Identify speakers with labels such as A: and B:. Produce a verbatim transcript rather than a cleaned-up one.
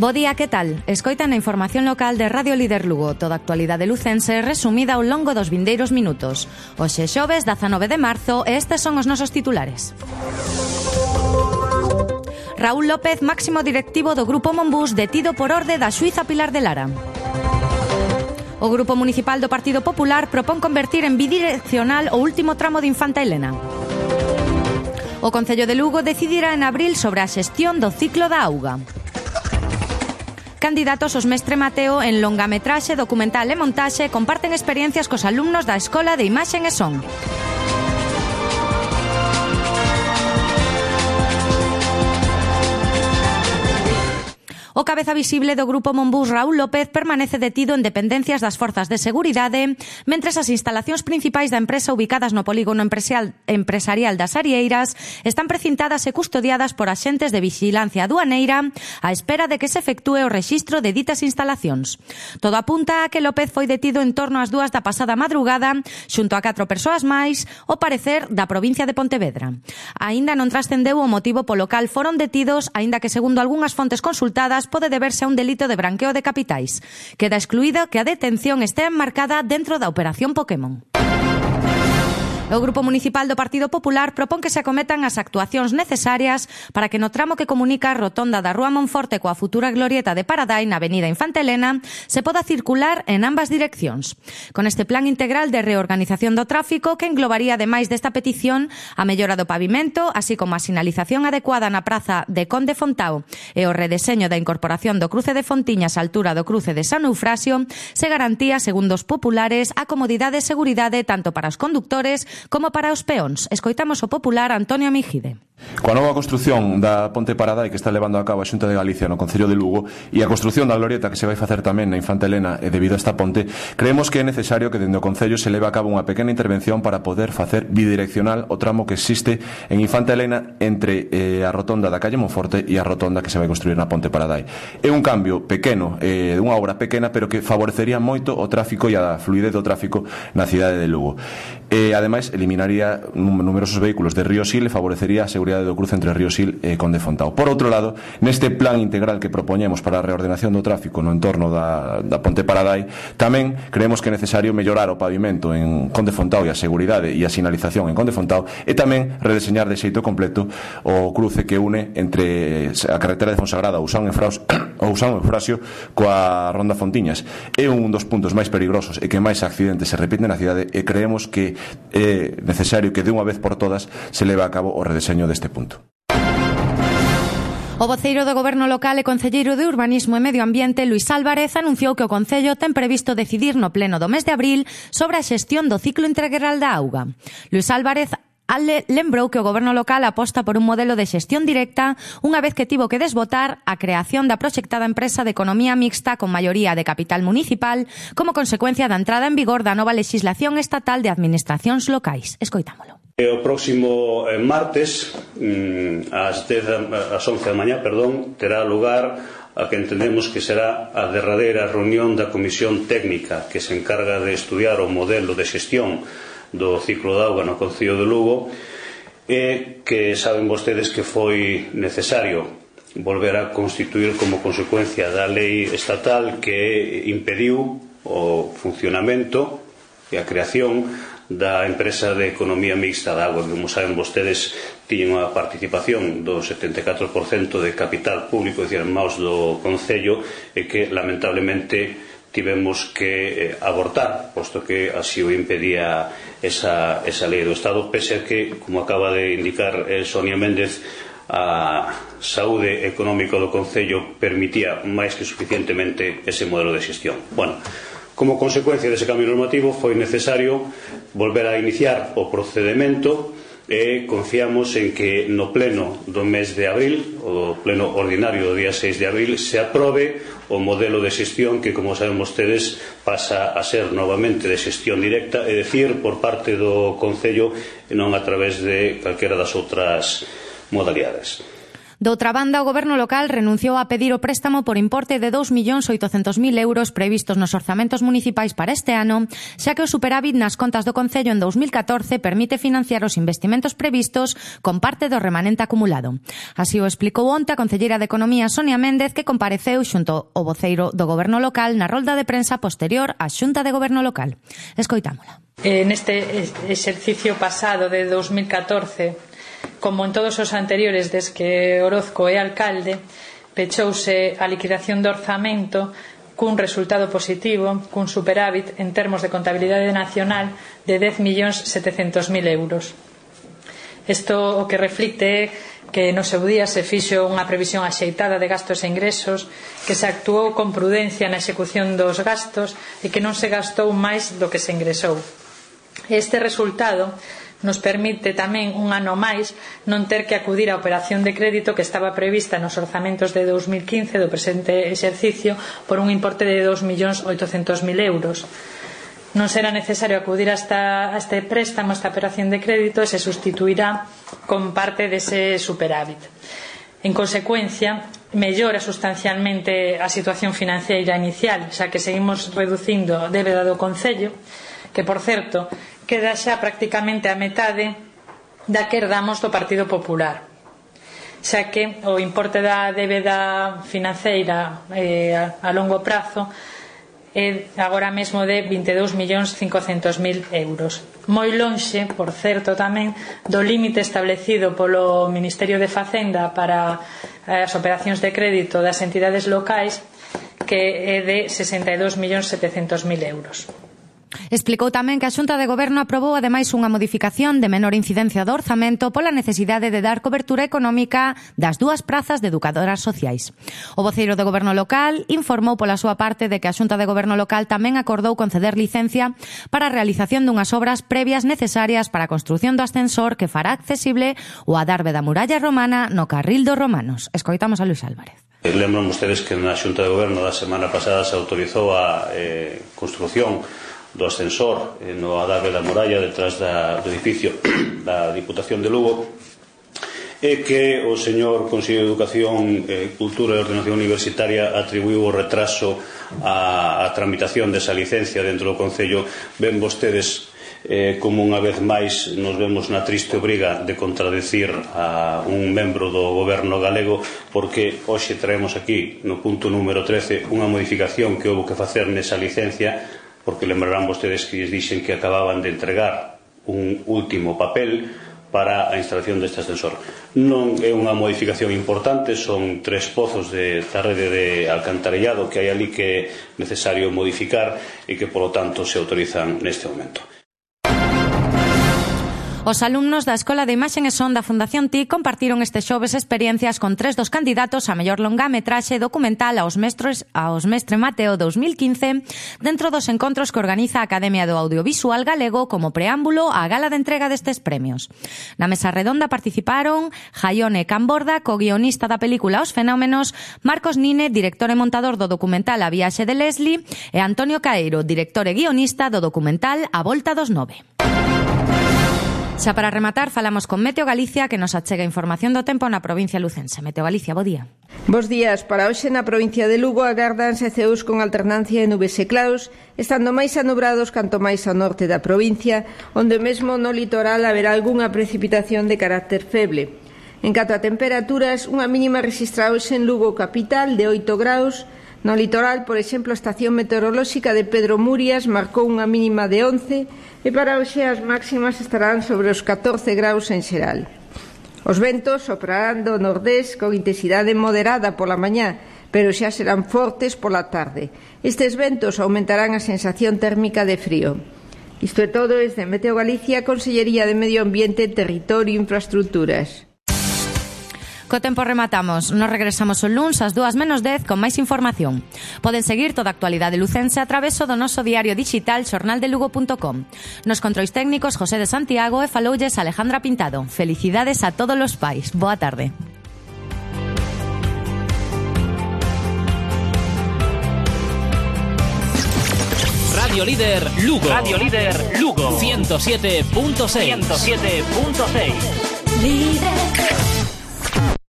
A: Bo día, que tal? Escoitan a información local de Radio Líder Lugo, toda a actualidade lucense resumida ao longo dos vindeiros minutos. Hoxe xoves, dezanove de marzo, e estes son os nosos titulares. Raúl López, máximo directivo do Grupo Monbús, detido por orde da xuíza Pilar de Lara. O Grupo Municipal do Partido Popular propón convertir en bidireccional o último tramo de Infanta Elena. O Concello de Lugo decidirá en abril sobre a xestión do ciclo da auga. Candidatos os Mestre Mateo en longametraxe, documental e montaxe comparten experiencias cos alumnos da Escola de Imaxen e Son. O cabeza visible do Grupo Monbús, Raúl López, permanece detido en dependencias das forzas de seguridade, mentres as instalacións principais da empresa ubicadas no polígono empresarial das Arieiras están precintadas e custodiadas por axentes de vixilancia aduaneira á espera de que se efectúe o rexistro de ditas instalacións. Todo apunta a que López foi detido en torno ás dúas da pasada madrugada xunto a catro persoas máis, ao parecer da provincia de Pontevedra. Aínda non trascendeu o motivo polo cal foron detidos, aínda que segundo algunhas fontes consultadas pode deberse a un delito de branqueo de capitais. Queda excluído que a detención estea enmarcada dentro da Operación Pokémon. O Grupo Municipal do Partido Popular propón que se acometan as actuacións necesarias para que no tramo que comunica a rotonda da Rúa Monforte coa futura glorieta de Paradai na avenida Infanta Elena se poda circular en ambas direccións. Con este plan integral de reorganización do tráfico que englobaría, ademais desta petición, a mellora do pavimento, así como a sinalización adecuada na praza de Conde Fontao e o redeseño da incorporación do cruce de Fontiñas á altura do cruce de San Eufrasio, se garantía, segundo os populares, a comodidade e seguridade tanto para os condutores como para os peóns. Escoitamos o popular Antonio Mijide.
B: Coa nova construción da Ponte Paradai que está levando a cabo a Xunta de Galicia no Concello de Lugo e a construción da glorieta que se vai facer tamén na Infanta Elena e debido a esta ponte, creemos que é necesario que dende o Concello se leve a cabo unha pequena intervención para poder facer bidireccional o tramo que existe en Infanta Elena entre eh, a rotonda da calle Monforte e a rotonda que se vai construir na Ponte Paradai. É un cambio pequeno, eh, unha obra pequena, pero que favorecería moito o tráfico e a fluidez do tráfico na cidade de Lugo. E, ademais, eliminaría numerosos vehículos de Río Sil e favorecería a seguridade do cruce entre Río Sil e Conde Fontao. Por outro lado, neste plan integral que propoñemos para a reordenación do tráfico no entorno da, da Ponte Paradai, tamén creemos que é necesario mellorar o pavimento en Conde Fontao e a seguridade e a sinalización en Conde Fontao e tamén redeseñar de xeito completo o cruce que une entre a carretera de Fonsagrada ou San Eufrasio coa Ronda Fontiñas. É un dos puntos máis peligrosos e que máis accidentes se repiten na cidade e creemos que é necesario que de unha vez por todas se leve a cabo o redeseño deste punto.
A: O voceiro do Goberno local e concelleiro de Urbanismo e Medio Ambiente, Luís Álvarez, anunciou que o Concello ten previsto decidir no pleno do mes de abril sobre a xestión do ciclo integral da auga. Luís Álvarez Ale lembrou que o Goberno local aposta por un modelo de xestión directa unha vez que tivo que desbotar a creación da proxectada empresa de economía mixta con maioría de capital municipal como consecuencia da entrada en vigor da nova legislación estatal de administracións locais. Escoitámolo.
C: O próximo martes, ás once da mañá, perdón, terá lugar a que entendemos que será a derradeira reunión da Comisión Técnica que se encarga de estudiar o modelo de xestión do ciclo de auga no Concello de Lugo e que saben vostedes que foi necesario volver a constituir como consecuencia da lei estatal que impediu o funcionamento e a creación da empresa de economía mixta da auga, que, como saben vostedes, tiñen unha participación do setenta e catro por cento de capital público, é dicir, en maus do Concello, e que lamentablemente tivemos que eh, abortar, posto que así o impedía esa, esa lei do Estado, pese a que, como acaba de indicar eh, Sonia Méndez, a saúde económica do Concello permitía máis que suficientemente ese modelo de xestión. Bueno, como consecuencia dese cambio normativo foi necesario volver a iniciar o procedimento e confiamos en que no pleno do mes de abril, o pleno ordinario do día seis de abril, se aprobe o modelo de xestión que, como saben vostedes, pasa a ser novamente de xestión directa, é dicir, por parte do Concello e non a través de calquera das outras modalidades.
A: Doutra banda, o Goberno local renunciou a pedir o préstamo por importe de dous millóns oitocentos mil euros previstos nos orzamentos municipais para este ano, xa que o superávit nas contas do Concello en dous mil catorce permite financiar os investimentos previstos con parte do remanente acumulado. Así o explicou onte a concelleira de Economía Sonia Méndez, que compareceu xunto ao voceiro do Goberno local na rolda de prensa posterior á Xunta de Goberno local. Escoitámola.
D: Eh, neste exercicio pasado de dous mil catorce, como en todos os anteriores desde que Orozco é alcalde, pechouse a liquidación do orzamento cun resultado positivo, cun superávit en termos de contabilidade nacional de dez millóns setecentos mil euros. Isto o que reflicte que no seu día se fixo unha previsión axeitada de gastos e ingresos, que se actuou con prudencia na execución dos gastos e que non se gastou máis do que se ingresou. Este resultado nos permite tamén un ano máis non ter que acudir á operación de crédito que estaba prevista nos orzamentos de dous mil quince do presente exercicio por un importe de dous millóns oitocentos mil euros. Non será necesario acudir a, esta, a este préstamo, a esta operación de crédito, e se sustituirá con parte dese superávit. En consecuencia, mellora sustancialmente a situación financiera inicial, xa que seguimos reducindo a débeda do Concello, que, por certo, queda xa prácticamente a metade da que herdamos do Partido Popular, xa que o importe da débeda financeira eh, a, a longo prazo é agora mesmo de vinte e dous millóns cincocentos mil euros, moi lonxe, por certo, tamén do límite establecido polo Ministerio de Facenda para as operacións de crédito das entidades locais, que é de sesenta e dous millóns setecentos mil euros.
A: Explicou tamén que a Xunta de Goberno aprobou ademais unha modificación de menor incidencia do orzamento pola necesidade de dar cobertura económica das dúas prazas de educadoras sociais. O voceiro do Goberno local informou pola súa parte de que a Xunta de Goberno local tamén acordou conceder licencia para a realización dunhas obras previas necesarias para a construción do ascensor que fará accesible o adarve da muralla romana no Carril dos Romanos. Escoitamos a Luis Álvarez.
C: Lembran vostedes que na Xunta de Goberno da semana pasada se autorizou a eh, construción do ascensor no adarve da muralla detrás da, do edificio da Diputación de Lugo, e que o señor Conselleiro de Educación, eh, Cultura e Ordenación Universitaria atribuiu o retraso á, a tramitación desa licencia dentro do Concello. Ven vostedes eh, como unha vez máis nos vemos na triste obriga de contradecir a un membro do Goberno galego, porque hoxe traemos aquí no punto número trece unha modificación que houve que facer nesa licencia, porque lembrarán vostedes que lles dixen que acababan de entregar un último papel para a instalación deste ascensor. Non é unha modificación importante, son tres pozos de, da rede de alcantarillado que hai ali que é necesario modificar e que, polo tanto, se autorizan neste momento.
A: Os alumnos da Escola de Imaxen e Son da Fundación T I C compartiron este xoves experiencias con tres dos candidatos a mellor longametraxe documental aos mestres aos Mestre Mateo dous mil quince dentro dos encontros que organiza a Academia do Audiovisual Galego como preámbulo á gala de entrega destes premios. Na mesa redonda participaron Jaione Camborda, co-guionista da película Os Fenómenos, Marcos Nine, director e montador do documental A Viaxe de Leslie, e Antonio Caeiro, director e guionista do documental A Volta dos Nove. Xa para rematar, falamos con Meteo Galicia, que nos achega información do tempo na provincia lucense. Meteo Galicia, bo día.
E: Bos días. Para hoxe na provincia de Lugo agárdanse ceos con alternancia de nubes e claros, estando máis anubrados canto máis ao norte da provincia, onde mesmo no litoral haberá algunha precipitación de carácter feble. En canto a temperaturas, unha mínima rexistrada hoxe en Lugo capital de oito graus. No litoral, por exemplo, a estación meteorolóxica de Pedro Murias marcou unha mínima de once e para hoxe as máximas estarán sobre os catorce graus en xeral. Os ventos soprarán do nordés con intensidade moderada pola mañá, pero xa serán fortes pola tarde. Estes ventos aumentarán a sensación térmica de frío. Isto é todo desde Meteo Galicia, Consellería de Medio Ambiente, Territorio e Infraestructuras.
A: Co tempo rematamos. Nos regresamos o luns ás dúas menos dez con máis información. Poden seguir toda a actualidade lucense a traveso do noso diario digital xornal de lugo punto com. Nos controis técnicos José de Santiago e faloulles Alejandra Pintado. Felicidades a todos os pais. Boa tarde.
F: Radio Líder Lugo. Radio Líder Lugo. ciento siete punto seis. ciento siete punto seis. Líder.